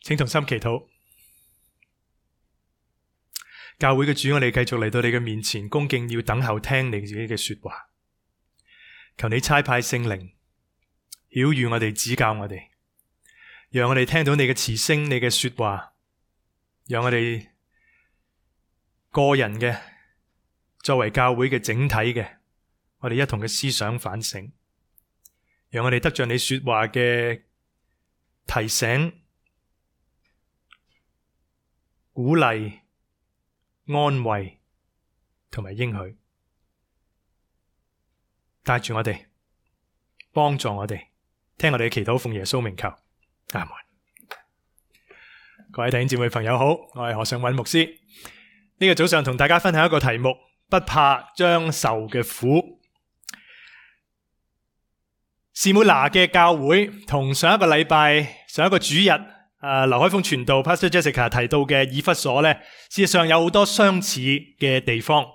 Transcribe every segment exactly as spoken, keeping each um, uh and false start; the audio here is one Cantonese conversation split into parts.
請同心祈禱。教會嘅主，我哋繼續嚟到你嘅面前，恭敬要等候聽你自己嘅說話。求你差派聖靈曉諭我哋，指教我哋，讓我哋聽到你嘅慈聲，你嘅說話，讓我哋個人嘅，作為教會嘅整體嘅，我哋一同嘅思想反省，讓我哋得着你說話嘅提醒、鼓勵、安慰同埋應許，帶住我哋，幫助我哋，聽我哋嘅祈禱，奉耶穌名求，阿門。各位弟兄姊妹朋友好，我係何尚韻牧師。呢個早上同大家分享一個題目：不怕將受嘅苦。士每拿嘅教會同上一個禮拜、上一個主日，啊，劉海峰傳道 Pastor Jessica 提到嘅以弗所呢，事實上有好多相似嘅地方。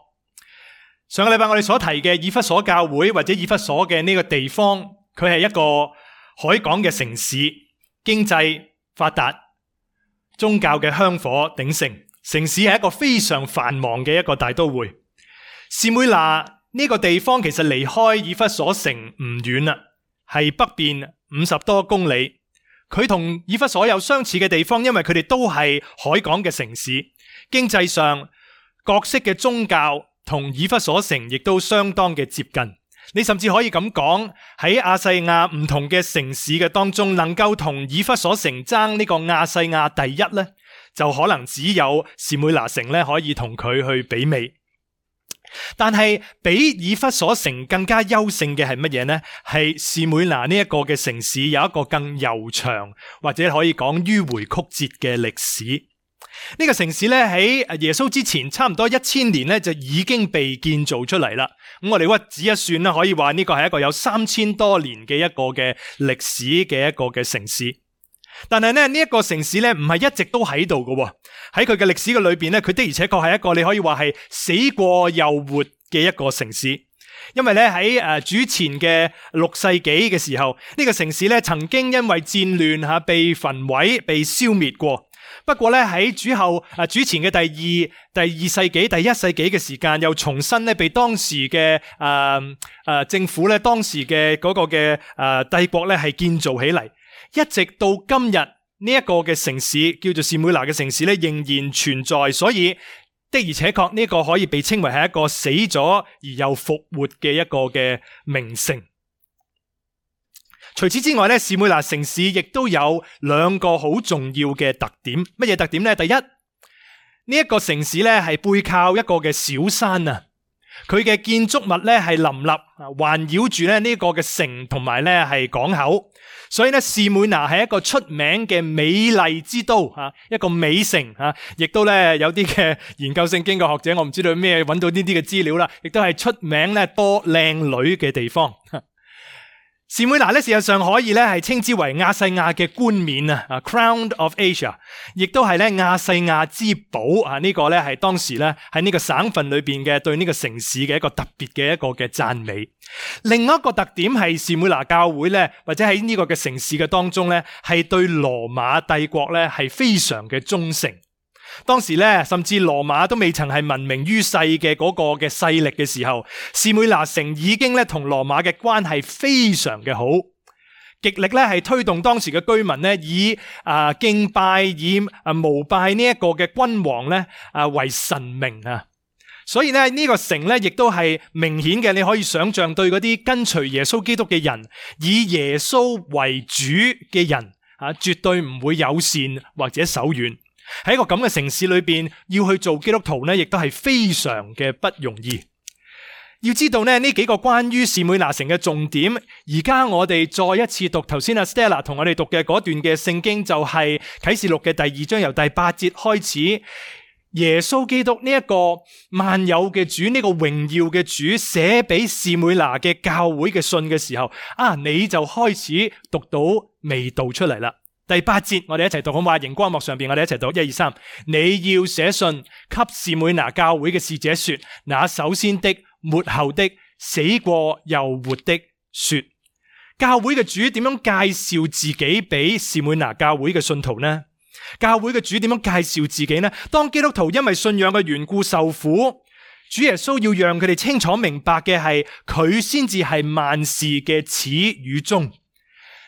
上個禮拜我哋所提嘅以弗所教會或者以弗所嘅呢個地方，佢係一個海港嘅城市，經濟發達，宗教嘅香火鼎盛，城市係一個非常繁忙嘅一個大都會。士每拿呢個地方其實離開以弗所城唔遠啦，係北邊五十多公里。佢同以弗所有相似嘅地方，因為佢哋都係海港嘅城市，經濟上各式嘅宗教同以弗所城亦都相當嘅接近。你甚至可以咁講，喺亞細亞唔同嘅城市嘅當中，能夠同以弗所城爭呢個亞細亞第一呢，就可能只有士每拿城呢可以同佢去媲美。但係比以弗所城更加優勝嘅係乜嘢呢？係士每拿呢一個嘅城市有一個更悠長或者可以講迂迴曲折嘅歷史。呢個城市咧喺耶穌之前差唔多一千年咧就已經被建造出嚟啦。咁我哋屈指一算啦，可以話呢個係一個有三千多年嘅一個嘅歷史嘅一個嘅城市。但係咧呢一個城市咧唔係一直都喺度嘅，喺佢嘅歷史嘅裏邊咧，佢的而且確係一個你可以話係死過又活嘅一個城市。因為咧喺誒主前嘅六世紀嘅時候，呢個城市咧曾經因為戰亂吓被焚毀、被消滅過。不過咧喺主後誒主前嘅第二、第二世紀、第一世紀嘅時間，又重新咧被當時嘅誒誒政府咧當時嘅嗰個嘅誒帝國咧係建造起嚟。一直到今日呢一個嘅城市叫做士每拿嘅城市咧仍然存在，所以的而且確呢個可以被稱為係一個死咗而又復活嘅一個嘅名城。除此之外咧，士每拿城市亦都有兩個好重要嘅特點。乜嘢特點呢？第一，呢一個城市咧係背靠一個嘅小山啊，佢嘅建築物咧係林立，環繞住咧呢個嘅城同埋咧係港口。所以咧，士每拿係一個出名嘅美麗之都吓，一個美城吓，亦都咧有啲嘅研究聖經嘅學者，我唔知道咩揾到呢啲嘅資料啦，亦都係出名咧多靚女嘅地方。士每拿咧，事實上可以咧係稱之為亞細亞嘅冠冕啊 ，Crown of Asia， 亦都係咧亞細亞之寶啊！呢個咧係當時咧喺呢個省份裏邊嘅對呢個城市嘅一個特別嘅一個嘅讚美。另外一個特點係士每拿教會咧，或者喺呢個嘅城市嘅當中咧，係對羅馬帝國咧係非常嘅忠誠。當時咧，甚至羅馬都未曾係聞名於世嘅嗰個嘅勢力嘅時候，士每拿城已經咧同羅馬嘅關係非常嘅好，極力咧係推動當時嘅居民咧以啊敬拜、以啊膜拜呢一個嘅君王咧啊為神明啊。所以咧呢個城咧亦都係明顯嘅，你可以想象對嗰啲跟隨耶穌基督嘅人，以耶穌為主嘅人啊，絕對唔會友善或者手軟。喺一個咁嘅城市裏邊，要去做基督徒呢，亦都係非常嘅不容易。要知道呢，呢幾個關於士每拿城嘅重點，而家我哋再一次讀頭先阿 Stella 同我哋讀嘅嗰段嘅聖經，就係啟示錄嘅第二章由第八節開始。耶穌基督呢一個萬有嘅主，呢個榮耀嘅主寫俾士每拿嘅教會嘅信嘅時候，啊，你就開始讀到味道出嚟啦。第八節，我哋一齊讀好嘛？熒光幕上邊，我哋一齊讀，一二三。你要寫信給士每拿教會嘅使者說，那首先的、末後的、死過又活的說。教會嘅主點樣介紹自己俾士每拿教會嘅信徒呢？教會嘅主點樣介紹自己呢？當基督徒因為信仰嘅緣故受苦，主耶穌要讓佢哋清楚明白嘅係，佢先至係萬事嘅始與終。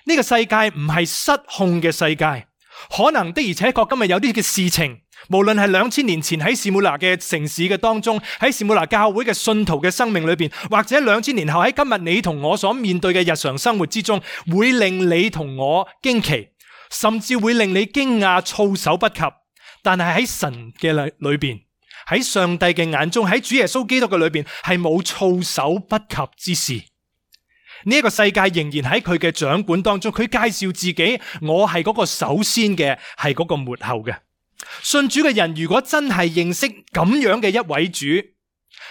呢個世界唔係失控嘅世界，可能的而且確今日有啲嘅事情，無論係兩千年前喺士每拿嘅城市嘅當中，喺士每拿教會嘅信徒嘅生命裏邊，或者兩千年後喺今日你同我所面對嘅日常生活之中，會令你同我驚奇，甚至會令你驚訝措手不及。但係喺神嘅裏邊，喺上帝嘅眼中，喺主耶穌基督嘅裏邊，係冇措手不及之事。呢一個世界仍然喺佢嘅掌管當中，佢介紹自己，我係嗰個首先嘅，係嗰個末後嘅。信主嘅人如果真係認識咁樣嘅一位主，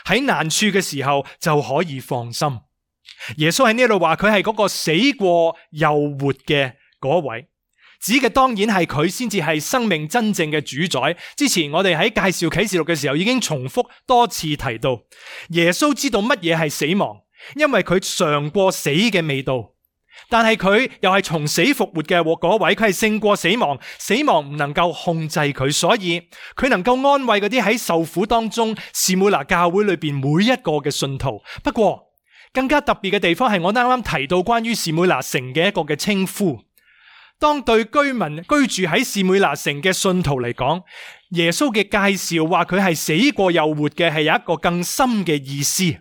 喺難處嘅時候就可以放心。耶穌喺呢度話佢係嗰個死過又活嘅嗰位，指嘅當然係佢先至係生命真正嘅主宰。之前我哋喺介紹啟示錄嘅時候已經重複多次提到，耶穌知道乜嘢係死亡，因為佢嘗過死嘅味道，但係佢又係從死復活嘅嗰位，佢係勝過死亡，死亡唔能夠控制佢，所以佢能夠安慰嗰啲喺受苦當中士每拿教會裏邊每一個嘅信徒。不過更加特別嘅地方係我啱啱提到關於士每拿城嘅一個嘅稱呼。當對居民居住喺士每拿城嘅信徒嚟講，耶穌嘅介紹話佢係死過又活嘅，係有一個更深嘅意思。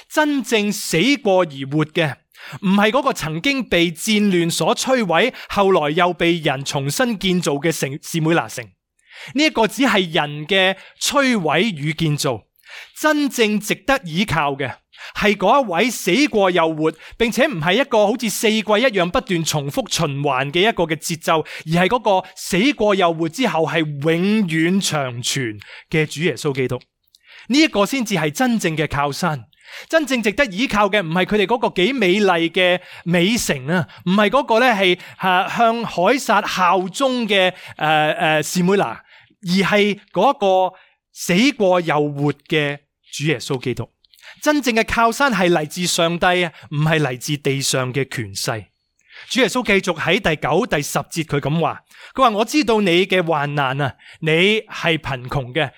真正死過而活嘅，唔係嗰個曾經被戰亂所摧毀，後來又被人重新建造嘅城士每拿城。呢一個只係人嘅摧毀與建造，真正值得依靠嘅係嗰一位死過又活，並且唔係一個好似四季一樣不斷重複循環嘅一個嘅節奏，而係嗰個死過又活之後係永遠長存嘅主耶穌基督。呢一個先至係真正嘅靠山。真正值得依靠嘅唔係佢哋嗰個幾美麗嘅美城啊，唔係嗰個咧係誒向凱撒效忠嘅誒誒士每拿，而係嗰個死過又活嘅主耶穌基督。真正嘅靠山係嚟自上帝啊，唔係嚟自地上嘅權勢。主耶穌繼續喺第九、第十節佢咁話，佢話我知道你嘅患難啊，你係貧窮嘅，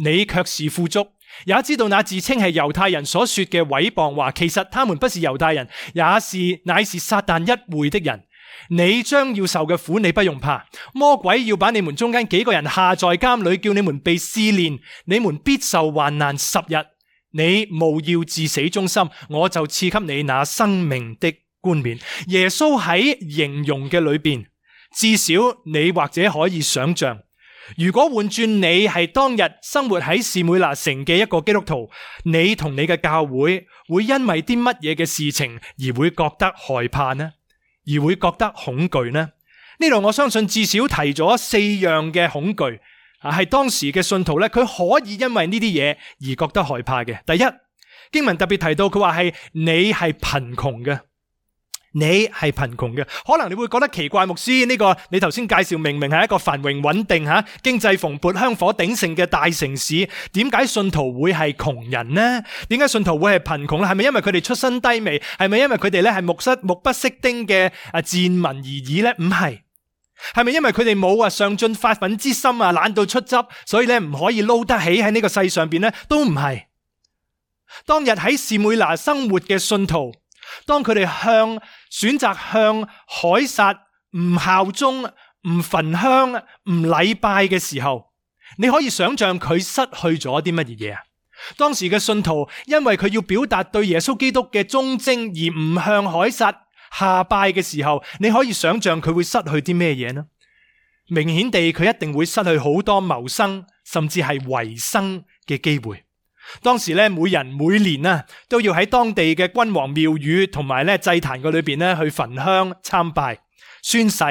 你卻是富足。也知道那自稱係猶太人所說嘅毀謗話，其實他們不是猶太人，也是乃是撒旦一會的人。你將要受嘅苦，你不用怕。魔鬼要把你們中間幾個人下在監裏，叫你們被試煉，你們必受患難十日。你務要至死忠心，我就賜給你那生命的冠冕。耶穌喺形容嘅裏邊，至少你或者可以想象，如果換轉你係當日生活喺士每拿城嘅一個基督徒，你同你嘅教會會因為啲乜嘢嘅事情而會覺得害怕呢？而會覺得恐懼呢？呢度我相信至少提咗四樣嘅恐懼，係當時嘅信徒咧，佢可以因為呢啲嘢而覺得害怕嘅。第一，經文特別提到佢話係你係貧窮嘅。你係貧窮嘅，可能你會覺得奇怪，牧師呢個你頭先介紹明明係一個繁榮穩定吓、經濟蓬勃、香火鼎盛嘅大城市，點解信徒會係窮人呢？點解信徒會係貧窮咧？係咪因為佢哋出身低微？係咪因為佢哋咧係目失目不識丁嘅啊賤民而已咧？唔係，係咪因為佢哋冇啊上進發奮之心啊，懶到出汁，所以咧唔可以撈得起喺呢個世上邊咧？都唔係。當日喺士每拿生活嘅信徒，當佢哋向選擇向凱撒唔效忠、唔焚香、唔禮拜嘅時候，你可以想象佢失去咗啲乜嘢啊？當時嘅信徒因為佢要表達對耶穌基督嘅忠貞而唔向凱撒下拜嘅時候，你可以想象佢會失去啲咩嘢呢？明顯地，佢一定會失去好多謀生甚至係維生嘅機會。當時咧，每人每年啊都要喺當地嘅君王廟宇同埋咧祭壇嗰裏邊咧去焚香參拜，宣誓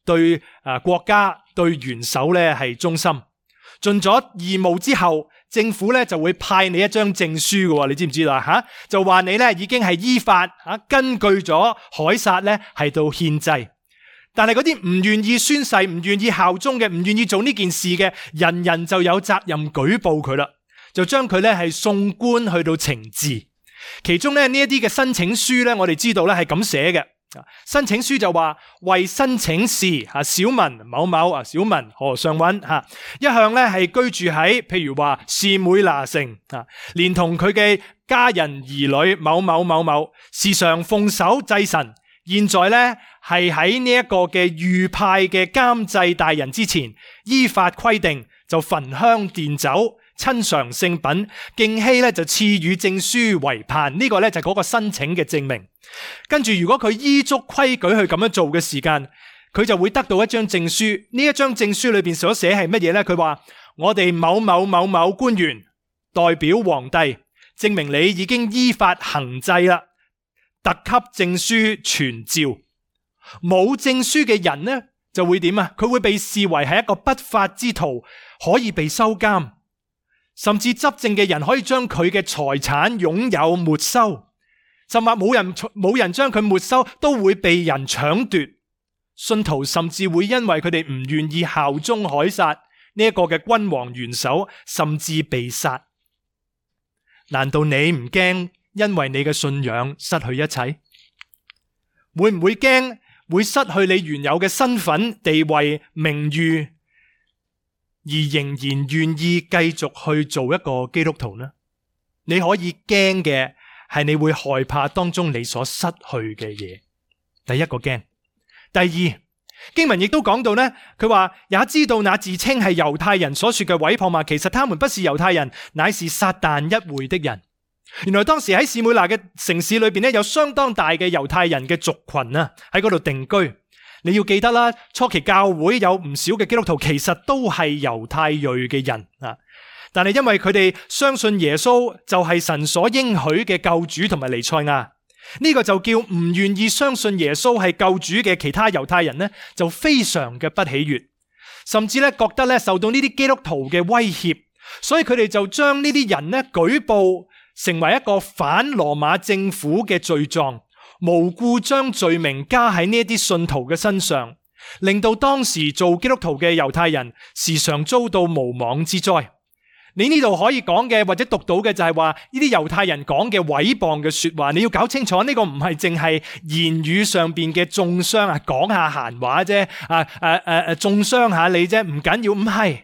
對啊國家對元首咧係忠心。盡咗義務之後，政府咧就會派你一張證書嘅，你知唔知道吓？就話你咧已經係依法吓根據咗凱撒咧係到獻祭。但係嗰啲唔願意宣誓、唔願意效忠嘅、唔願意做呢件事嘅，人人就有責任舉報佢啦。就將佢咧係送官去到懲治，其中咧呢一啲嘅申請書咧，我哋知道咧係咁寫嘅。申請書就話為申請事小民某某小民何尚允一向咧係居住喺譬如話士每拿城連同佢嘅家人兒女某某某某，時常奉守祭神。現在咧係喺呢一個嘅預派嘅監祭大人之前，依法規定就焚香奠酒，親嘗聖品，敬希咧就賜予證書為盼。呢、這個咧就係嗰個申請嘅證明。跟住如果佢依足規矩去咁樣做嘅時間，佢就會得到一張證書。呢一張證書裏邊所寫係乜嘢呢？佢話我哋某某某某官員代表皇帝，證明你已經依法行祭啦，特級證書傳召。冇證書嘅人呢就會點啊？佢會被視為係一個不法之徒，可以被收監，甚至執政嘅人可以將佢嘅財產擁有沒收。甚或冇人冇人將佢沒收，都會被人搶奪。信徒甚至會因為佢哋唔願意效忠凱撒呢一個嘅君王元首，甚至被殺。難道你唔驚因為你嘅信仰失去一切？會唔會驚會失去你原有嘅身份、地位、名譽，而仍然願意繼續去做一個基督徒呢？你可以驚嘅係你會害怕當中你所失去嘅嘢。第一個驚。第二，經文亦都講到呢，佢話也知道那自稱係猶太人所說嘅毀謗嘛，其實他們不是猶太人，乃是撒但一會的人。原來當時喺士每拿嘅城市裏邊呢，有相當大嘅猶太人嘅族群啊，喺嗰度定居。你要記得啦，初期教會有唔少嘅基督徒其實都係猶太裔嘅人啊。但係因為佢哋相信耶穌就係神所應許嘅救主同埋彌賽亞，呢個就叫唔願意相信耶穌係救主嘅其他猶太人呢，就非常嘅不喜悅，甚至咧覺得咧受到呢啲基督徒嘅威脅，所以佢哋就將呢啲人呢舉報成為一個反羅馬政府嘅罪狀，無故將罪名加喺呢一啲信徒嘅身上，令到當時做基督徒嘅猶太人時常遭到無妄之災。你呢度可以講嘅或者讀到嘅就係話呢啲猶太人講嘅毀謗嘅說話，你要搞清楚呢個唔係淨係言語上邊嘅中傷啊，講下閒話啫，啊誒誒誒中傷下你啫，唔緊要，唔係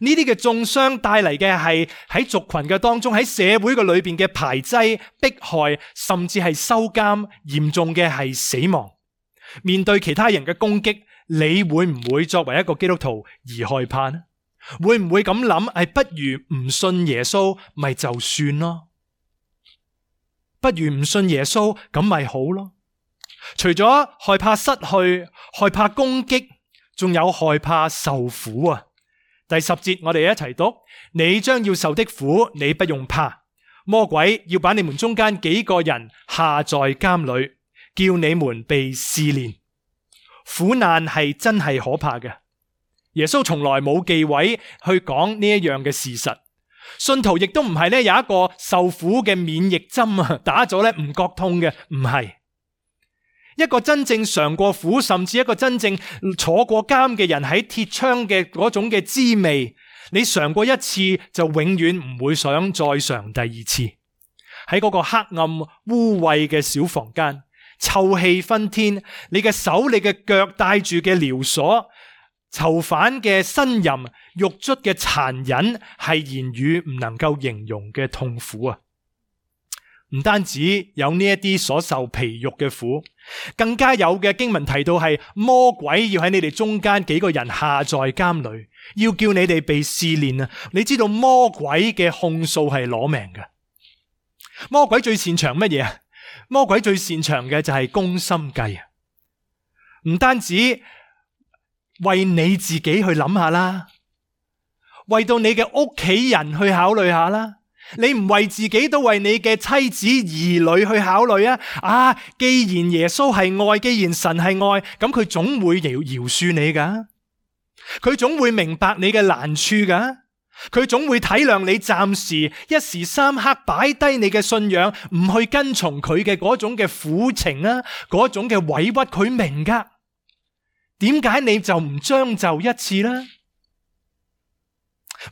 呢啲嘅中傷帶嚟嘅係喺族群嘅當中，喺社會嘅裏邊嘅排擠、迫害，甚至係收監，嚴重嘅係死亡。面對其他人嘅攻擊，你會唔會作為一個基督徒而害怕呢？會唔會咁諗？係不如唔信耶穌咪就算咯，不如唔信耶穌咁咪好咯。除咗害怕失去、害怕攻擊，仲有害怕受苦啊。第十節我哋一齊讀：你將要受的苦，你不用怕。魔鬼要把你們中間幾個人下在監裏，叫你們被試煉。苦難係真係可怕嘅。耶穌從來冇忌諱去講呢一樣嘅事實，信徒亦都唔係咧有一個受苦嘅免疫針啊，打咗咧唔覺痛嘅，唔係。一個真正嘗過苦，甚至一個真正坐過監嘅人喺鐵窗嘅嗰種嘅滋味，你嘗過一次就永遠唔會想再嘗第二次。喺嗰個黑暗污穢嘅小房間，臭氣熏天，你嘅手你嘅腳帶住嘅撩鎖，囚犯嘅呻吟，獄卒嘅殘忍，係言語唔能夠形容嘅痛苦啊！唔單止有呢一啲所受皮肉嘅苦，更加有嘅經文提到係魔鬼要喺你哋中間幾個人下在監裏，要叫你哋被試煉啊！你知道魔鬼嘅控訴係攞命嘅，魔鬼最擅長乜嘢啊？魔鬼最擅長嘅就係攻心計啊！唔單止為你自己去諗下啦，為到你嘅屋企人去考慮下啦。你唔為自己，都為你嘅妻子兒女去考慮啊！啊，既然耶穌係愛，既然神係愛，咁佢總會饒饒恕你噶，佢總會明白你嘅難處噶，佢總會體諒你暫時一時三刻擺低你嘅信仰，唔去跟從佢嘅嗰種嘅苦情啊，嗰種嘅委屈，佢明噶。點解你就唔將就一次呢？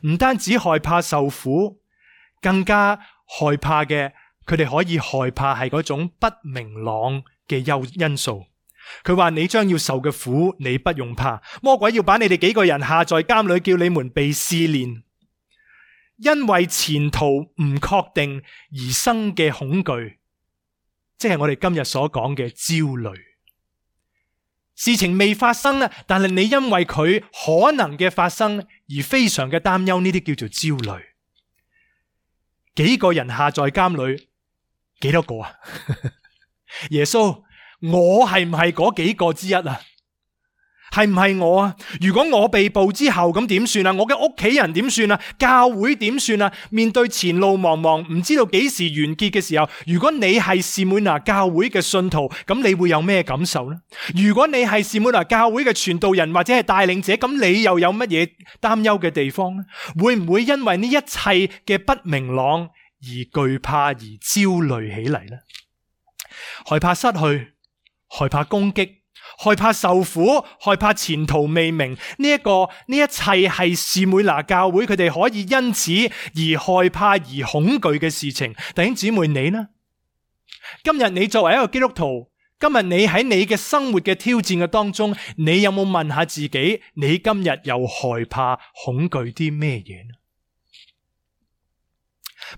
唔單止害怕受苦，更加害怕嘅，佢哋可以害怕係嗰種不明朗嘅因素。佢話你將要受嘅苦，你不用怕。魔鬼要把你哋幾個人下在監裏，叫你們被試煉，因為前途唔確定而生嘅恐懼，即係我哋今日所講嘅焦慮。事情未發生啦，但係你因為佢可能嘅發生而非常嘅擔憂，呢啲叫做焦慮。幾個人下在監裏，幾多個啊？耶穌，我係唔係嗰幾個之一啊？係唔係我啊？如果我被捕之後咁點算啊？我嘅屋企人點算啊？教會點算啊？面對前路茫茫，唔知道幾時完結嘅時候，如果你係士每拿教會嘅信徒，咁你會有咩感受呢？如果你係士每拿教會嘅傳道人或者係帶領者，咁你又有乜嘢擔憂嘅地方呢？會唔會因為呢一切嘅不明朗而懼怕而焦慮起嚟呢？害怕失去，害怕攻擊，害怕受苦，害怕前途未明，呢一個呢一切係士每拿教會佢哋可以因此而害怕而恐懼嘅事情。弟兄姊妹，你呢？今日你作為一個基督徒，今日你喺你嘅生活嘅挑戰嘅當中，你有冇問下自己，你今日又害怕恐懼啲咩嘢呢？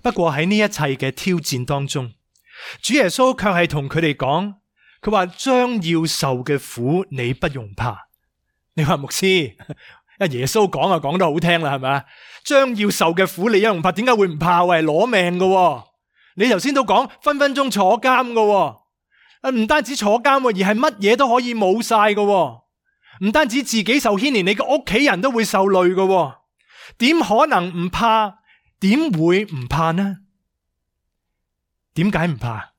不過喺呢一切嘅挑戰當中，主耶穌卻係同佢哋講，佢話將要受嘅苦你不用怕。你話牧師，阿耶穌講啊講得好聽啦，係咪？將要受嘅苦你一用怕，點解會唔怕？喂，攞命噶！你頭先都講分分鐘坐監噶，唔單止坐監，而係乜嘢都可以冇晒噶。唔單止自己受牽連，你嘅屋企人都會受累噶。點可能唔怕？點會唔怕呢？點解唔怕？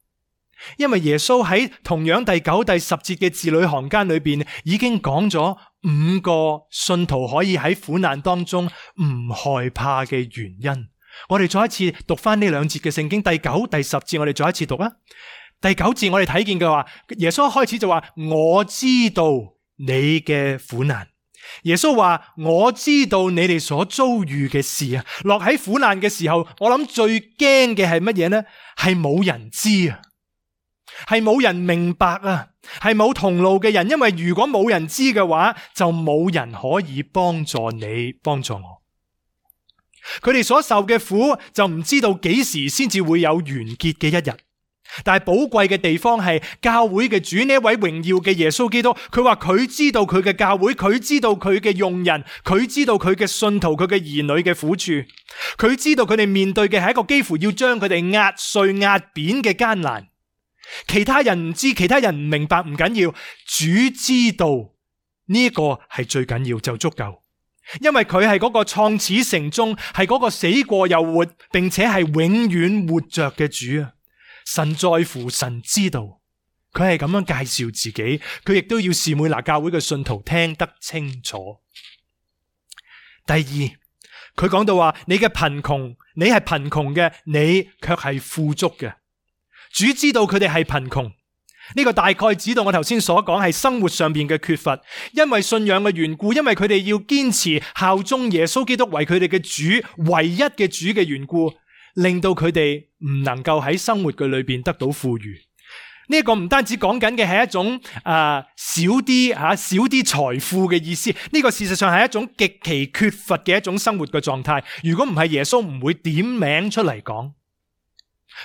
因為耶穌喺同樣第九、第十節嘅字裏行間裏邊已經講咗五個信徒可以喺苦難當中唔害怕嘅原因。我哋再一次讀翻呢兩節嘅聖經，第九、第十節我哋再一次讀啊。第九節我哋睇見嘅話，耶穌一開始就話我知道你嘅苦難。耶穌話我知道你哋所遭遇嘅事啊。落喺苦難嘅時候，我諗最驚嘅係乜嘢呢？係冇人知啊，係冇人明白啊，係冇同路嘅人。因為如果冇人知嘅話，就冇人可以幫助你，幫助我。佢哋所受嘅苦就唔知道幾時先至會有完結嘅一日。但係寶貴嘅地方係教會嘅主，呢一位榮耀嘅耶穌基督，佢話佢知道佢嘅教會，佢知道佢嘅用人，佢知道佢嘅信徒，佢嘅兒女嘅苦處，佢知道佢哋面對嘅係一個幾乎要將佢哋壓碎壓扁嘅艱難。其他人唔知，其他人唔明白，唔緊要，主知道呢一個係最緊要，就足夠。因為佢係嗰個創始成終，係嗰個死過又活，並且係永遠活着嘅主啊！神在乎，神知道，佢係咁樣介紹自己，佢亦都要士每拿教會嘅信徒聽得清楚。第二，佢講到話，你嘅貧窮，你係貧窮嘅，你卻係富足嘅。主知道佢哋係貧窮，呢個大概指到我頭先所講係生活上邊嘅缺乏，因為信仰嘅緣故，因為佢哋要堅持效忠耶穌基督為佢哋嘅主，唯一嘅主嘅緣故，令到佢哋唔能夠喺生活嘅裏邊得到富裕。呢、這個唔單止講緊嘅係一種啊、呃、少啲吓、啊、少啲財富嘅意思，呢、這個事實上係一種極其缺乏嘅一種生活嘅狀態。如果唔係耶穌唔會點名出嚟講。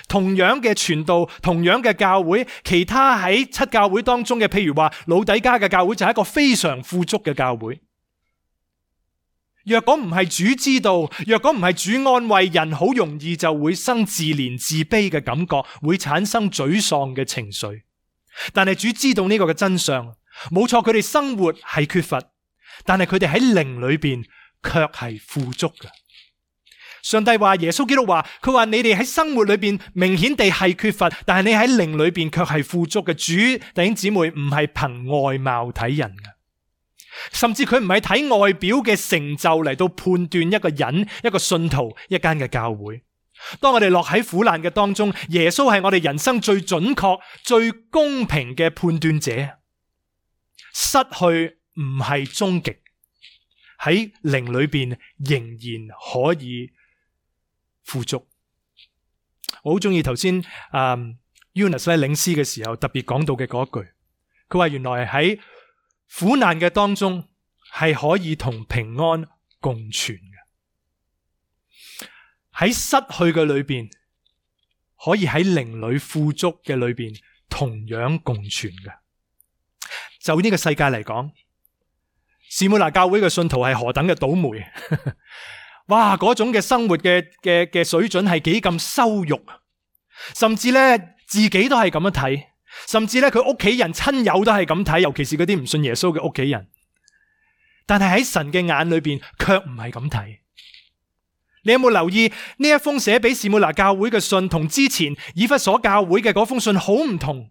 同樣嘅傳道，同樣嘅教會，其他喺七教會當中嘅，譬如話老底嘉嘅教會就係一個非常富足嘅教會。若果唔係主知道，若果唔係主安慰人，好容易就會生自憐自卑嘅感覺，會產生沮喪嘅情緒。但係主知道呢個嘅真相，冇錯，佢哋生活係缺乏，但係佢哋喺靈裏邊卻係富足嘅。上帝話，耶穌基督話，佢話你哋喺生活裏邊明顯地係缺乏，但係你喺靈裏邊卻係富足嘅。主弟兄姊妹唔係憑外貌睇人嘅。甚至佢唔係睇外表嘅成就嚟到判斷一個人、一個信徒、一間嘅教會。當我哋落喺苦難嘅當中，耶穌係我哋人生最準確、最公平嘅判斷者。失去唔係終極，喺靈裏邊仍然可以富足。我好中意頭先啊 Eunice 領詩嘅時候特別講到嘅嗰一句。佢話原來喺苦難嘅當中係可以同平安共存嘅，喺失去嘅裏邊可以喺靈裏富足嘅裏邊同樣共存嘅。就呢個世界嚟講，士每拿教會嘅信徒係何等嘅倒霉哇，嗰種嘅生活嘅嘅嘅水準係幾咁羞辱，甚至咧自己都係咁樣睇，甚至咧佢屋企人親友都係咁睇，尤其是嗰啲唔信耶穌嘅屋企人。但係喺神嘅眼裏邊卻唔係咁睇。你有冇留意呢一封寫俾士每拿教會嘅信同之前以弗所教會嘅嗰封信好唔同？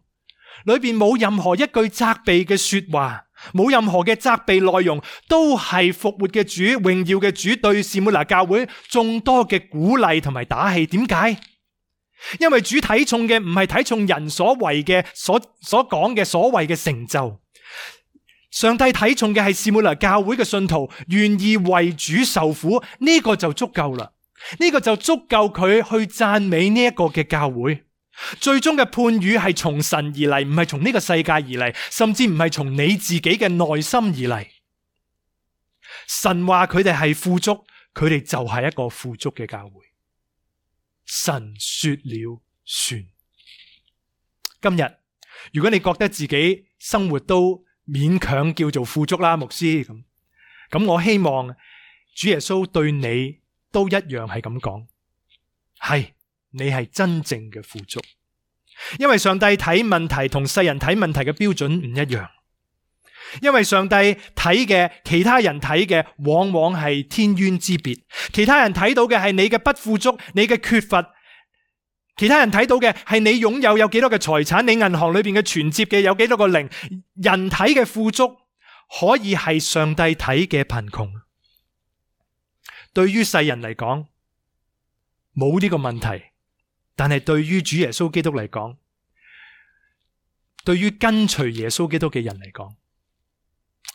裏邊冇任何一句責備嘅說話，冇任何嘅責備內容，都係復活嘅主、榮耀嘅主對士每拿教會眾多嘅鼓勵同埋打氣。點解？因為主睇重嘅唔係睇重人所為嘅所所講嘅所謂嘅成就，上帝睇重嘅係士每拿教會嘅信徒願意為主受苦，呢個就足夠啦。呢個就足夠佢去讚美呢一個嘅教會。最終嘅判語係從神而嚟，唔係從呢個世界而嚟，甚至唔係從你自己嘅內心而嚟。神話佢哋係富足，佢哋就係一個富足嘅教會。神說了算。今日如果你覺得自己生活都勉強叫做富足啦，牧師咁，咁我希望主耶穌對你都一樣係咁講，係。你係真正嘅富足，因為上帝睇問題同世人睇問題嘅標準唔一樣，因為上帝睇嘅其他人睇嘅往往係天淵之別，其他人睇到嘅係你嘅不富足，你嘅缺乏，其他人睇到嘅係你擁有有幾多嘅財產，你銀行裏邊嘅存摺嘅有幾多個零，人睇嘅富足可以係上帝睇嘅貧窮。對於世人嚟講冇呢個問題。但係對於主耶穌基督嚟講，對於跟隨耶穌基督嘅人嚟講，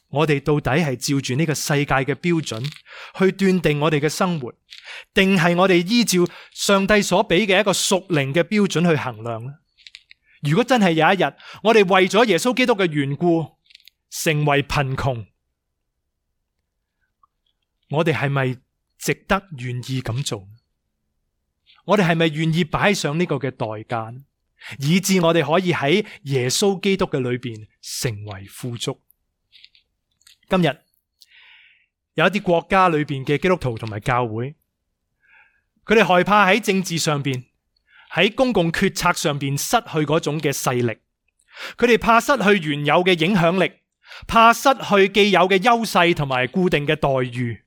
我哋到底係照住呢個世界嘅標準去斷定我哋嘅生活，定係我哋依照上帝所俾嘅一個屬靈嘅標準去衡量呢？如果真係有一日，我哋為咗耶穌基督嘅緣故成為貧窮，我哋係咪值得願意咁做？我哋係咪願意擺上呢個嘅代價，以致我哋可以喺耶穌基督嘅裏邊成為富足？今日有一啲國家裏邊嘅基督徒同埋教會，佢哋害怕喺政治上邊、喺公共決策上邊失去嗰種嘅勢力，佢哋怕失去原有嘅影響力，怕失去既有嘅優勢同埋固定嘅待遇。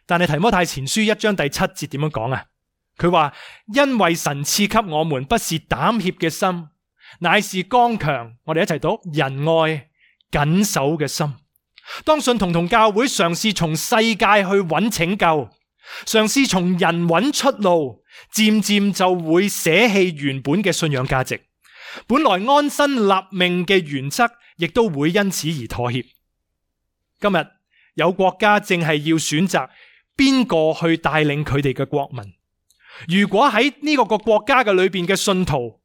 但係提摩太前書一章第七節點樣講啊？佢話，因為神賜給我們不是膽怯嘅心，乃是剛強，我哋一齊讀仁愛謹守嘅心。當信徒同教會嘗試從世界去揾拯救，嘗試從人揾出路，漸漸就會捨棄原本嘅信仰價值，本來安身立命嘅原則亦都會因此而妥協。今日有國家正係要選擇邊個去帶領佢哋嘅國民。如果喺呢個個國家嘅裏邊嘅信徒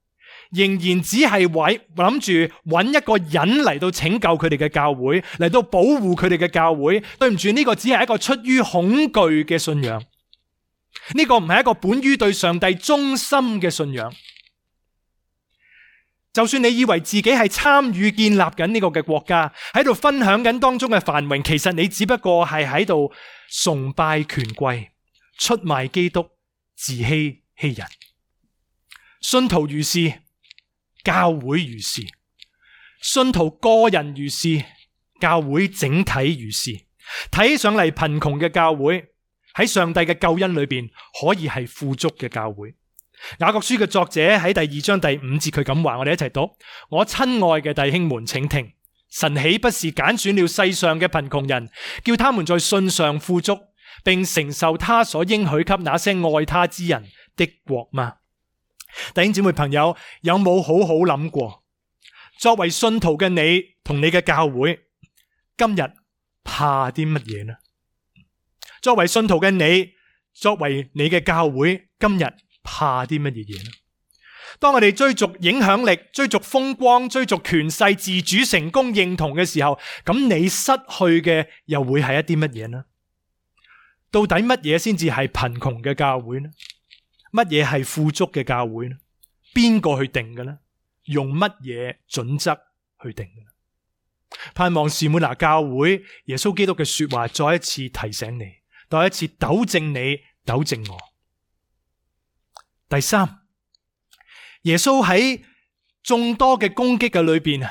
仍然只係為諗住揾一個人嚟到拯救佢哋嘅教會，嚟到保護佢哋嘅教會，對唔住，呢個只係一個出於恐懼嘅信仰，呢個唔係一個本於對上帝忠心嘅信仰。就算你以為自己係參與建立緊呢個嘅國家，喺度分享緊當中嘅繁榮，其實你只不過係喺度崇拜權貴，出賣基督，自欺欺人。信徒如是，教會如是；信徒個人如是，教會整體如是。睇起上嚟貧窮嘅教會，喺上帝嘅救恩裏邊可以係富足嘅教會。雅各書嘅作者喺第二章第五節佢咁話，我哋一齊讀：我親愛嘅弟兄們，請聽，神豈不是揀選了世上嘅貧窮人，叫他們在信上富足，並承受他所應許給那些愛他之人的國嗎？弟兄姊妹朋友，有冇好好諗過，作為信徒嘅你同你嘅教會，今日怕啲乜嘢呢？作為信徒嘅你，作為你嘅教會，今日怕啲乜嘢嘢呢？當我哋追逐影響力、追逐風光、追逐權勢、自主、成功、認同嘅時候，咁你失去嘅又會係一啲乜嘢呢？到底乜嘢先至係貧窮嘅教會呢？乜嘢係富足嘅教會呢？邊個去定嘅呢？用乜嘢準則去定嘅呢？盼望士每拿教會耶穌基督嘅說話再一次提醒你，再一次糾正你，糾正我。第三，耶穌喺眾多嘅攻擊嘅裏邊，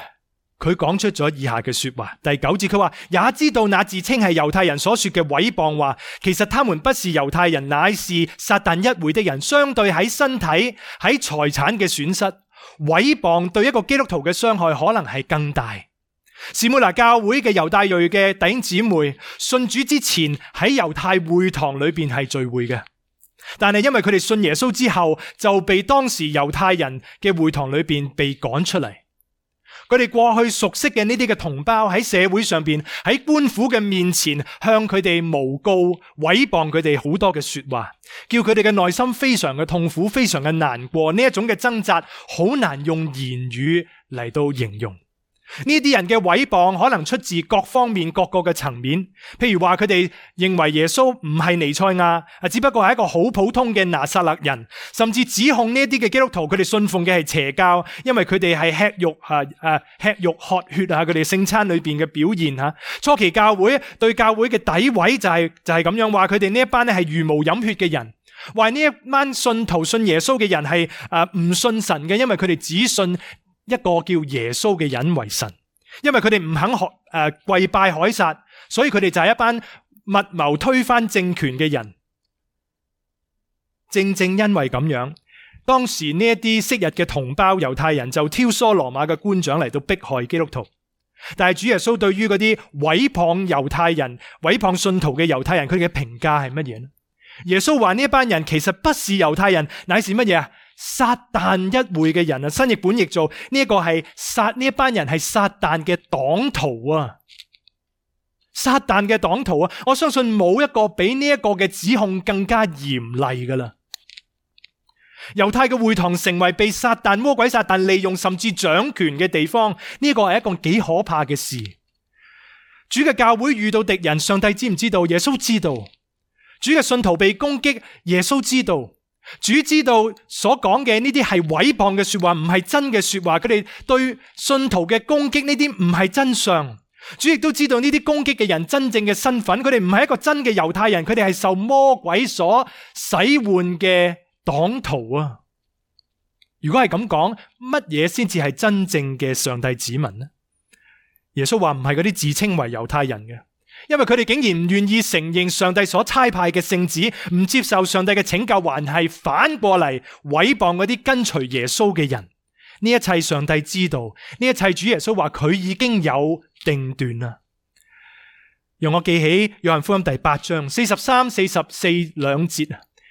佢講出咗以下嘅說話。第九節佢話，也知道那自稱係猶太人所說嘅毀謗話，其實他們不是猶太人，乃是撒但一會的人。相對喺身體、喺財產嘅損失，毀謗對一個基督徒嘅傷害可能係更大。士每拿教會嘅猶大裔嘅弟兄姊妹信主之前喺猶太會堂裏邊係聚會嘅，但係因為佢哋信耶穌之後就被當時猶太人嘅會堂裏邊被趕出嚟。佢哋過去熟悉嘅呢啲嘅同胞喺社會上邊喺官府嘅面前向佢哋誣告毀謗佢哋好多嘅說話，叫佢哋嘅內心非常嘅痛苦，非常嘅難過。呢一種嘅掙扎好難用言語嚟到形容。呢啲人嘅毀謗可能出自各方面各個嘅層面，譬如話佢哋認為耶穌唔係彌賽亞，只不過係一個好普通嘅拿撒勒人，甚至指控呢一啲嘅基督徒佢哋信奉嘅係邪教，因為佢哋係吃肉啊啊吃肉喝血啊，佢哋聖餐裏邊嘅表現吓。初期教會對教會嘅詆毀就係就係咁樣話，佢哋呢一班咧係茹毛飲血嘅人，話呢一班信徒信耶穌嘅人係誒唔信神嘅，因為佢哋只信一個叫耶穌嘅人為神，因為佢哋唔肯學誒、呃、跪拜凱撒，所以佢哋就係一班密謀推翻政權嘅人。正正因為咁樣，當時呢一啲昔日嘅同胞猶太人就挑唆羅馬嘅官長嚟到迫害基督徒。但係主耶穌對於嗰啲毀謗猶太人、毀謗信徒嘅猶太人，佢哋嘅評價係乜嘢呢？耶穌話呢一班人其實不是猶太人，乃是乜嘢啊？撒但一會嘅人啊，新譯本譯做呢一個係撒呢一班人係撒但嘅黨徒啊，撒但嘅黨徒啊，我相信冇一個比呢一個嘅指控更加嚴厲噶啦。猶太嘅會堂成為被撒但魔鬼撒但利用甚至掌權嘅地方，呢個係一個幾可怕嘅事。主嘅教會遇到敵人，上帝知唔知道？耶穌知道。主嘅信徒被攻擊，耶穌知道。主知道所講嘅呢啲係毀謗嘅說話，唔係真嘅說話。佢哋對信徒嘅攻擊呢啲唔係真相。主亦都知道呢啲攻擊嘅人真正嘅身份，佢哋唔係一個真嘅猶太人，佢哋係受魔鬼所使喚嘅黨徒啊！如果係咁講，乜嘢先至係真正嘅上帝子民呢？耶穌話唔係嗰啲自稱為猶太人嘅。因為佢哋竟然唔願意承認上帝所差派嘅聖子，唔接受上帝嘅拯救，還係反過嚟毀謗嗰啲跟隨耶穌嘅人。呢一切上帝知道，呢一切主耶穌話佢已經有定斷啦。讓我記起約翰福音第八章四十三、四十四兩節。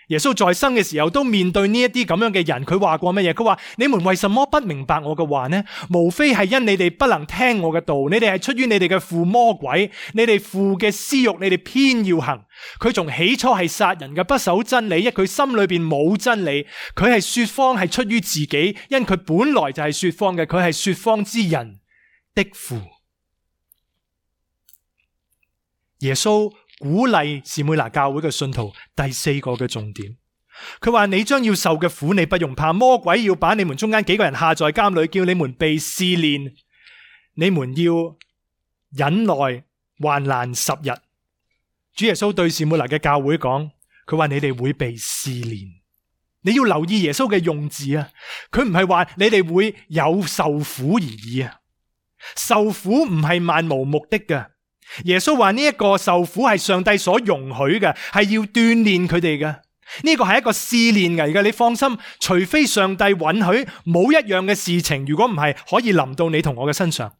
耶穌在生嘅時候都面對呢一啲咁樣嘅人，佢話過乜嘢？佢話：你們為什麼不明白我嘅話呢？無非係因你哋不能聽我嘅道，你哋係出於你哋嘅父魔鬼，你哋父嘅私欲，你哋偏要行。佢從起初係殺人嘅，不守真理，因佢心裏邊冇真理。佢係說謊，係出於自己，因佢本來就係說謊嘅，佢係說謊之人的父。耶穌鼓勵士每拿教會嘅信徒第四個嘅重點，佢話：你將要受嘅苦你不用怕，魔鬼要把你們中間幾個人下在監裏，叫你們被試煉，你們要忍耐患難十日。主耶穌對士每拿嘅教會講，佢話你哋會被試煉，你要留意耶穌嘅用字啊，佢唔係話你哋會有受苦而已啊，受苦唔係漫無目的嘅。耶穌話呢一個受苦係上帝所容許嘅，係要鍛煉佢哋嘅。呢個係一個試煉嚟嘅，你放心，除非上帝允許，冇一樣嘅事情，如果唔係可以臨到你同我嘅身上。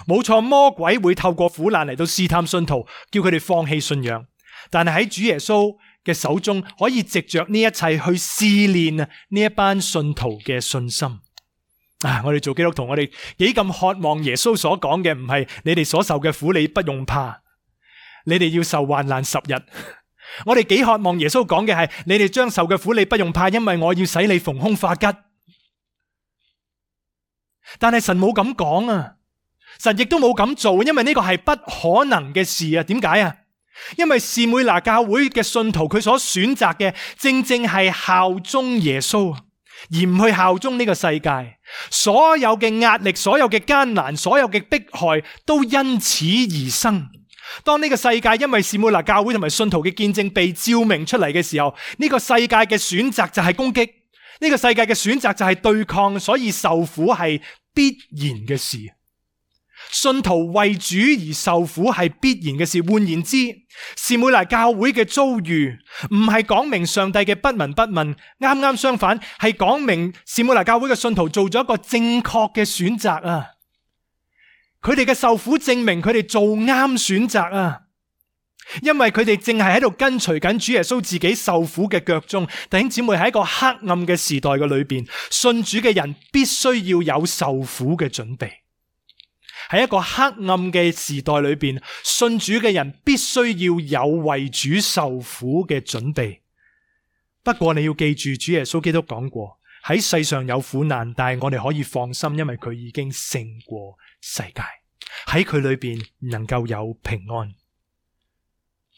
冇錯，魔鬼會透過苦難嚟到試探信徒，叫佢哋放棄信仰。但係喺主耶穌嘅手中，可以藉着呢一切去試煉呢一班信徒嘅信心。啊！我哋做基督徒，我哋幾咁渴望耶穌所講嘅，唔係你哋所受嘅苦你不用怕，你哋要受患難十日。我哋幾渴望耶穌講嘅係，你哋將受嘅苦你不用怕，因為我要使你逢凶化吉。但係神冇咁講啊，神亦都冇咁做，因為呢個係不可能嘅事啊。點解啊？因為士每拿教會嘅信徒佢所選擇嘅正正係效忠耶穌，而唔去效忠呢個世界。所有嘅壓力，所有嘅艱難，所有嘅迫害都因此而生。當呢個世界因為士每拿教會同埋信徒嘅見證被照明出嚟嘅時候，呢個世界嘅選擇就係攻擊，呢個世界嘅選擇就係對抗，所以受苦係必然嘅事。信徒為主而受苦係必然嘅事。換言之，士每拿教會嘅遭遇唔係講明上帝嘅不聞不問，啱啱相反，係講明士每拿教會嘅信徒做咗一個正確嘅選擇啊！佢哋嘅受苦證明佢哋做啱選擇啊！因為佢哋正係喺度跟隨緊主耶穌自己受苦嘅腳蹤。弟兄姊妹，喺一個黑暗嘅時代嘅裏邊，信主嘅人必須要有受苦嘅準備。喺一個黑暗嘅時代裏邊，信主嘅人必須要有為主受苦嘅準備。不過你要記住，主耶穌基督講過，喺世上有苦難，但係我哋可以放心，因為佢已經勝過世界，喺佢裏邊能夠有平安。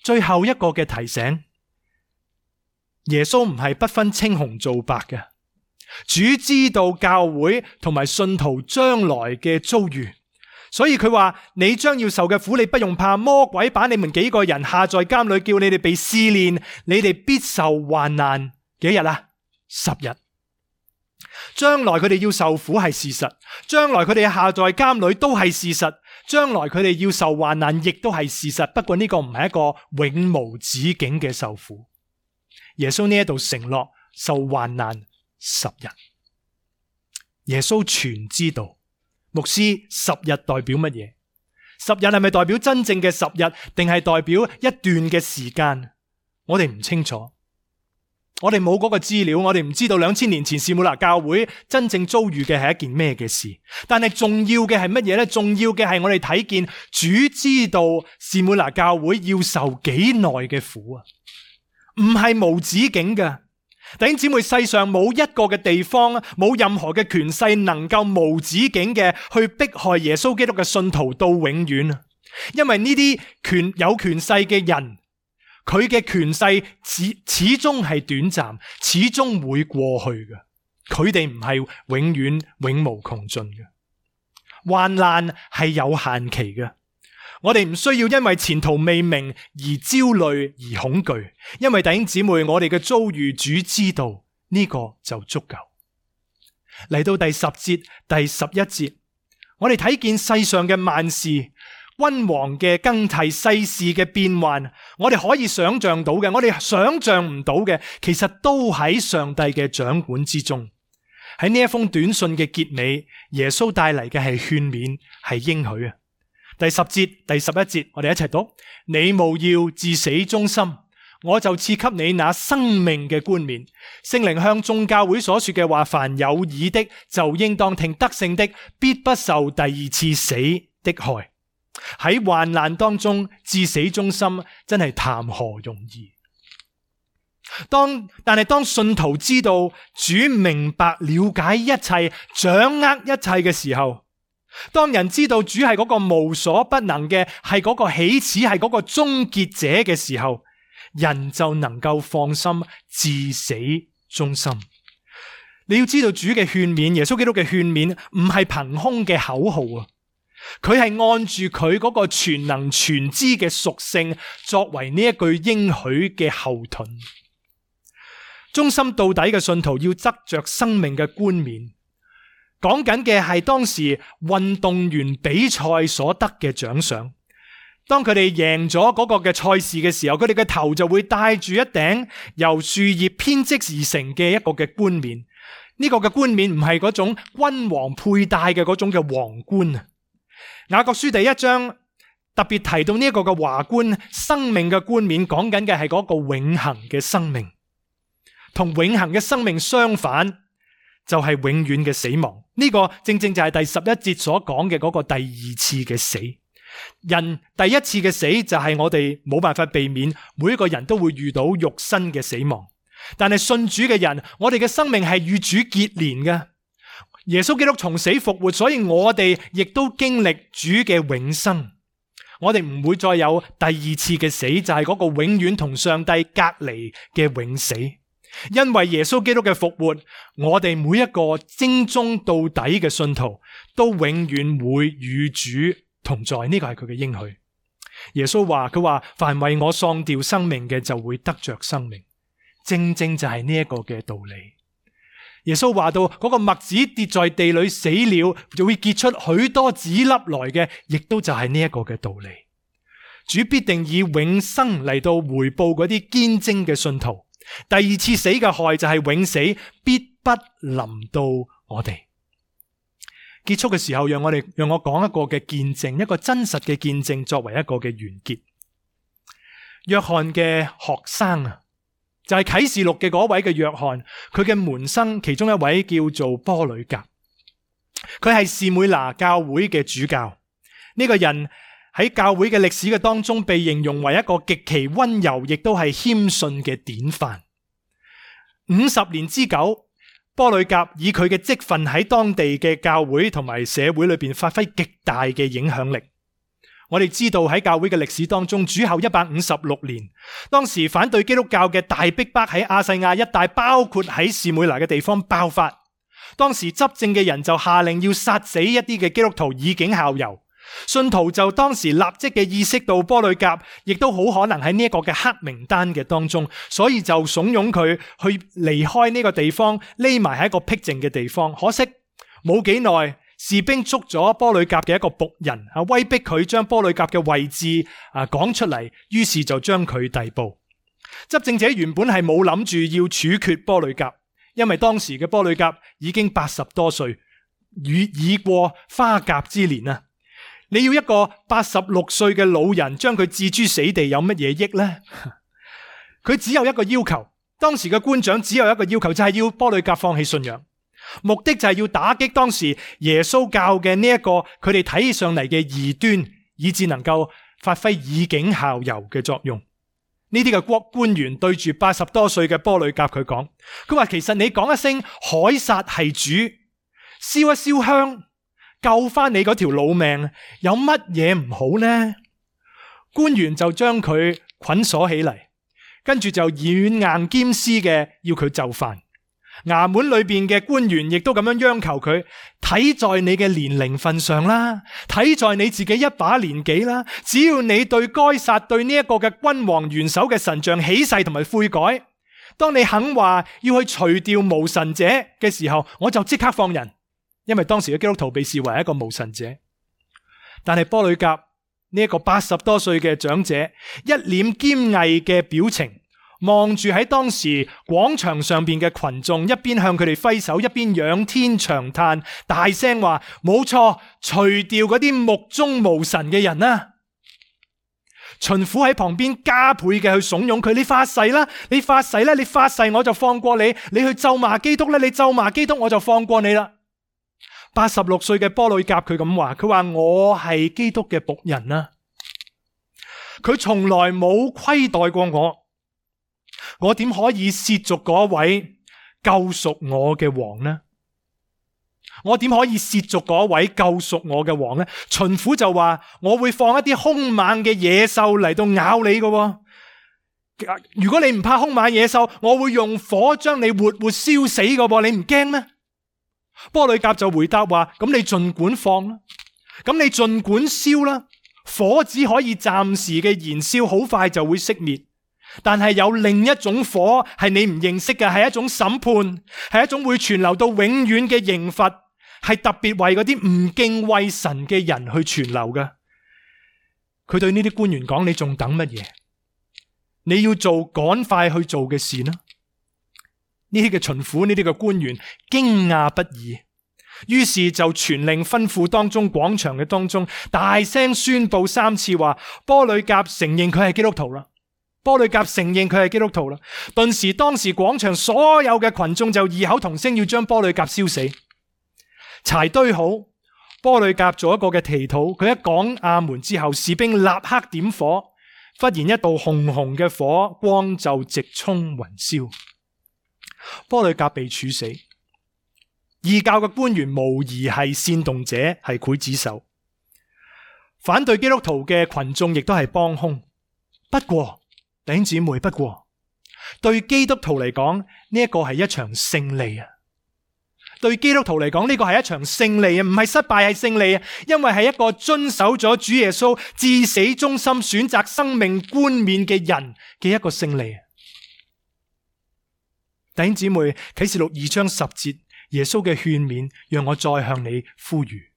最後一個嘅提醒，耶穌唔係不分青紅皂白嘅，主知道教會同埋信徒將來嘅遭遇。所以佢話，你將要受嘅苦，你不用怕，魔鬼把你們幾個人下在監裏，叫你哋被試煉，你哋必受患難。幾日啊？十日。將來佢哋要受苦係事實，將來佢哋下在監裏都係事實，將來佢哋要受患難亦都係事實。不過呢個唔係一個永無止境嘅受苦。耶穌呢一度承諾受患難十日，耶穌全知道。牧師，十日代表乜嘢？十日係咪代表真正嘅十日，定係代表一段嘅時間？我哋唔清楚，我哋冇嗰個資料，我哋唔知道兩千年前士每拿教會真正遭遇嘅係一件咩嘅事。但係重要嘅係乜嘢呢？重要嘅係我哋睇見主知道士每拿教會要受幾耐嘅苦啊，唔係無止境嘅。弟兄姊妹，世上冇一個嘅地方，冇任何嘅權勢能夠無止境嘅去迫害耶穌基督嘅信徒到永遠。因為呢啲權有權勢嘅人，佢嘅權勢始始終係短暫，始終會過去嘅。佢哋唔係永遠永無窮盡嘅。患難係有限期嘅。我哋唔需要因為前途未明而焦慮而恐懼，因為弟兄姊妹，我哋嘅遭遇主知道，呢個就足夠。嚟到第十節、第十一節，我哋睇見世上嘅萬事、君王嘅更替、世事嘅變幻，我哋可以想象到嘅，我哋想象唔到嘅，其實都喺上帝嘅掌管之中。喺呢一封短信嘅結尾，耶穌帶嚟嘅係勸勉，係應許啊。第十節、第十一節，我哋一齊讀：你務要至死忠心，我就賜給你那生命嘅冠冕。聖靈向眾教會所說嘅話，凡有耳的就應當聽，得勝的必不受第二次死的害。喺患難當中至死忠心，真係談何容易。當但係當信徒知道主明白了解一切、掌握一切嘅時候，當人知道主係嗰個無所不能嘅，係嗰個起始，係嗰個終結者嘅時候，人就能夠放心至死忠心。你要知道主嘅勸勉，耶穌基督嘅勸勉唔係憑空嘅口號啊，佢係按住佢嗰個全能全知嘅屬性作為呢一句應許嘅後盾。忠心到底嘅信徒要執着生命嘅冠冕。講緊嘅係當時運動員比賽所得嘅獎賞。當佢哋贏咗嗰個嘅賽事嘅時候，佢哋嘅頭就會戴住一頂由樹葉編織而成嘅一個嘅冠冕。呢個嘅冠冕唔係嗰種君王佩戴嘅嗰種嘅皇冠啊。雅各書第一章特別提到呢一個嘅華冠，生命嘅冠冕，講緊嘅係嗰個永恆嘅生命。同永恆嘅生命相反，就係永遠嘅死亡。呢個正正就係第十一節所講嘅嗰個第二次嘅死。人第一次嘅死就係我哋冇辦法避免，每一個人都會遇到肉身嘅死亡。但係信主嘅人，我哋嘅生命係與主結連嘅。耶穌基督從死復活，所以我哋亦都經歷主嘅永生。我哋唔會再有第二次嘅死，就係嗰個永遠同上帝隔離嘅永死。因為耶穌基督嘅復活，我哋每一個精忠到底嘅信徒都永遠會與主同在。呢個係佢嘅應許。耶穌話，佢話凡為我喪掉生命嘅，就會得着生命。正正就係呢一個嘅道理。耶穌話到嗰個麥子跌在地裏死了，就會結出許多子粒來嘅，亦都就係呢一個嘅道理。主必定以永生嚟到回報嗰啲堅貞嘅信徒。第二次死嘅害就係永死，必不臨到我哋。結束嘅時候，讓我哋讓我講一個嘅見證，一個真實嘅見證，作為一個嘅完結。約翰嘅學生啊，就係啟示錄嘅嗰位嘅約翰，佢嘅門生其中一位叫做波呂甲，佢係士每拿教會嘅主教。呢個人喺教會嘅歷史嘅當中，被形容為一個極其溫柔，亦都係謙遜嘅典範。五十年之久，波呂甲以佢嘅職分喺當地嘅教會同埋社會裏邊發揮極大嘅影響力。我哋知道喺教會嘅歷史當中，主後一百五十六年，當時反對基督教嘅大逼迫喺亞細亞一帶，包括喺士每拿嘅地方爆發。當時執政嘅人就下令要殺死一啲嘅基督徒以儆效尤。信徒就當時立即嘅意識到波呂甲亦都好可能喺呢一個嘅黑名單嘅當中，所以就慫恿佢去離開呢個地方，匿埋喺一個僻靜嘅地方。可惜冇幾耐，士兵捉咗波呂甲嘅一個僕人，啊，威逼佢將波呂甲嘅位置啊講出嚟，於是就將佢逮捕。執政者原本係冇諗住要處決波呂甲，因為當時嘅波呂甲已經八十多歲，已已過花甲之年啊！你要一個八十六歲嘅老人將佢置諸死地，有乜嘢益呢？佢只有一個要求，當時嘅官長只有一個要求，就係要波呂甲放棄信仰。目的就係要打擊當時耶穌教嘅呢一個佢哋睇起上嚟嘅異端，以致能夠發揮以儆效尤嘅作用。呢啲嘅國官員對住八十多歲嘅波呂甲佢講，佢話其實你講一聲凱撒係主，燒一燒香，救翻你嗰條老命，有乜嘢唔好呢？官員就將佢捆鎖起嚟，跟住就軟硬兼施嘅要佢就範。衙門裏邊嘅官員亦都咁樣央求佢，睇在你嘅年齡份上啦，睇在你自己一把年紀啦，只要你對該撒對呢一個嘅君王元首嘅神像起誓同埋悔改，當你肯話要去除掉無神者嘅時候，我就即刻放人。因為當時嘅基督徒被視為一個無神者。但係波呂甲呢一個八十多歲嘅長者，一臉堅毅嘅表情，望住喺當時廣場上邊嘅群眾，一邊向佢哋揮手，一邊仰天長嘆，大聲話：冇錯，除掉嗰啲目中無神嘅人啊！巡撫喺旁邊加倍嘅去慫恿佢：你發誓啦，你發誓啦，你發誓我就放過你，你去咒罵基督啦，你咒罵基督我就放過你啦。八十六歲嘅波呂甲佢咁話，佢話我係基督嘅僕人啊，佢從來冇虧待過我，我點可以褻瀆嗰位救贖我嘅王呢？我點可以褻瀆嗰位救贖我嘅王呢？巡撫就話我會放一啲兇猛嘅野獸嚟到咬你嘅，如果你唔怕兇猛野獸，我會用火將你活活燒死嘅，你唔驚咩？波呂甲就回答話：咁你盡管放啦，咁你盡管燒啦，火只可以暫時嘅燃燒，好快就會熄滅。但係有另一種火係你唔認識嘅，係一種審判，係一種會存留到永遠嘅刑罰，係特別為嗰啲唔敬畏神嘅人去存留嘅。佢對呢啲官員講：你仲等乜嘢？你要做趕快去做嘅事呢？呢啲嘅巡撫，呢啲嘅官員驚訝不已，於是就傳令吩咐當中廣場嘅當中，大聲宣布三次話：波呂甲承認佢係基督徒啦！波呂甲承認佢係基督徒啦！頓時當時廣場所有嘅群眾就異口同聲要將波呂甲燒死。柴堆好，波呂甲做一個嘅祈禱，佢一講阿門之後，士兵立刻點火，忽然一道紅紅嘅火光就直衝雲霄。波呂甲被處死，異教嘅官員無疑係煽動者，係劊子手。反對基督徒嘅群眾亦都係幫兇。不過，弟兄姊妹，不過對基督徒嚟講，呢一個係一場勝利啊！對基督徒嚟講，呢個係一場勝利啊，唔係失敗，係勝利啊！因為係一個遵守咗主耶穌至死忠心、選擇生命冠冕嘅人嘅一個勝利啊！弟兄姊妹，啟示錄二章十節，耶穌嘅勸勉，讓我再向你呼籲：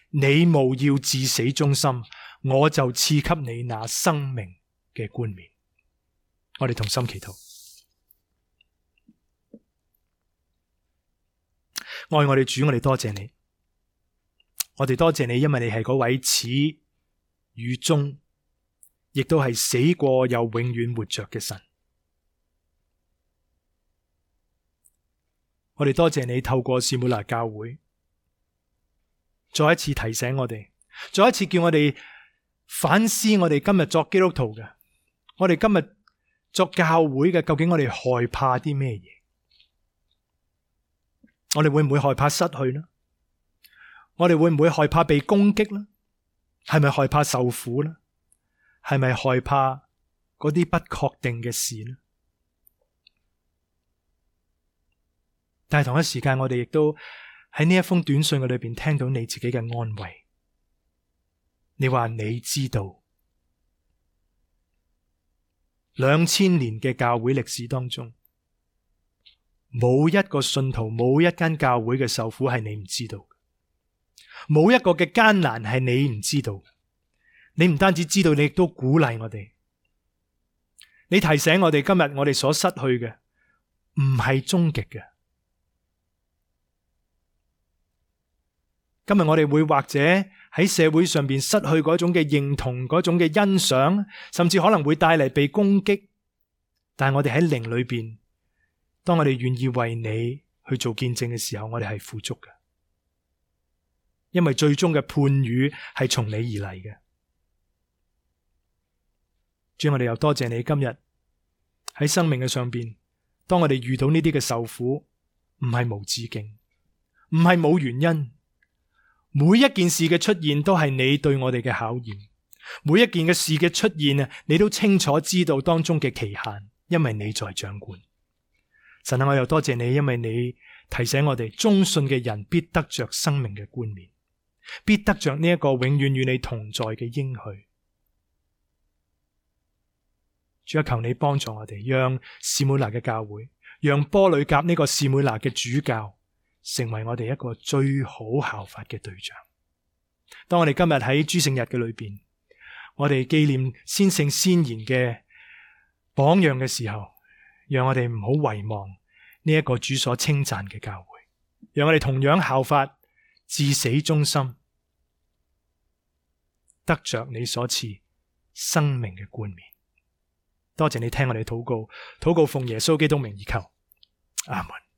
你務要至死忠心，我就賜給你那生命嘅冠冕。我哋同心祈禱。愛我哋主，我哋多謝你，我哋多謝你，因為你係嗰位始與終，亦都係死過又永遠活着嘅神。我哋多謝你透過士每拿教會，再一次提醒我哋，再一次叫我哋反思我哋今日作基督徒嘅，我哋今日作教會嘅，究竟我哋害怕啲咩嘢？我哋會唔會害怕失去呢？我哋會唔會害怕被攻擊呢？係咪害怕受苦呢？係咪害怕嗰啲不確定嘅事呢？但係同一時間，我哋亦都喺呢一封短信嘅裏邊聽到你自己嘅安慰。你話你知道，兩千年嘅教會歷史當中，冇一個信徒，冇一間教會嘅受苦係你唔知道，冇一個嘅艱難係你唔知道。你唔單止知道，你亦都鼓勵我哋。你提醒我哋，今日我哋所失去嘅唔係終極嘅。今日我哋會或者喺社會上邊失去嗰種嘅認同，嗰種嘅欣賞，甚至可能會帶嚟被攻擊。但係我哋喺靈裏邊，當我哋願意為你去做見證嘅時候，我哋係富足嘅，因為最終嘅判語係從你而嚟嘅。主，我哋又多謝你今日喺生命嘅上邊，當我哋遇到呢啲嘅受苦，唔係無止境，唔係冇原因。每一件事嘅出現都係你對我哋嘅考驗，每一件嘅事嘅出現啊，你都清楚知道當中嘅期限，因為你在掌管。神啊，我又多謝你，因為你提醒我哋，忠信嘅人必得着生命嘅冠冕，必得着呢一個永遠與你同在嘅應許。主啊，求你幫助我哋，讓士每拿嘅教會，讓波呂甲呢個士每拿嘅主教，成為我哋一個最好效法嘅對象。當我哋今日喺諸聖日嘅裏邊，我哋紀念先聖先賢嘅榜樣嘅時候，讓我哋唔好遺忘呢一個主所稱讚嘅教會，讓我哋同樣效法至死忠心，得着你所賜生命嘅冠冕。多謝你聽我哋禱告，禱告奉耶穌基督名而求，阿門。